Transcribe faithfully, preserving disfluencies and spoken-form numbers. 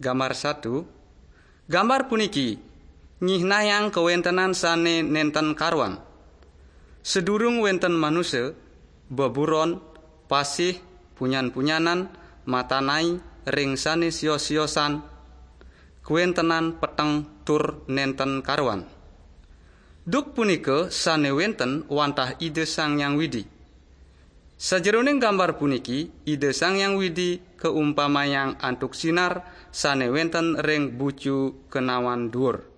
Gambar satu. Gambar puniki nyihnayang kawéntenan sané nénten karuan. Sedurung wénten manusa, beburon, pasih, punyan-punyanan, matanai ring sané sios-siosan, kawéntenan peteng tur nénten karuan. Duk punika sané wénten wantah Ida Sang Hyang Widi. Sajeroning gambar puniki, Ida Sang Hyang Widi kaumpamayang antuk sinar sané wénten ring bucu kenawan duur.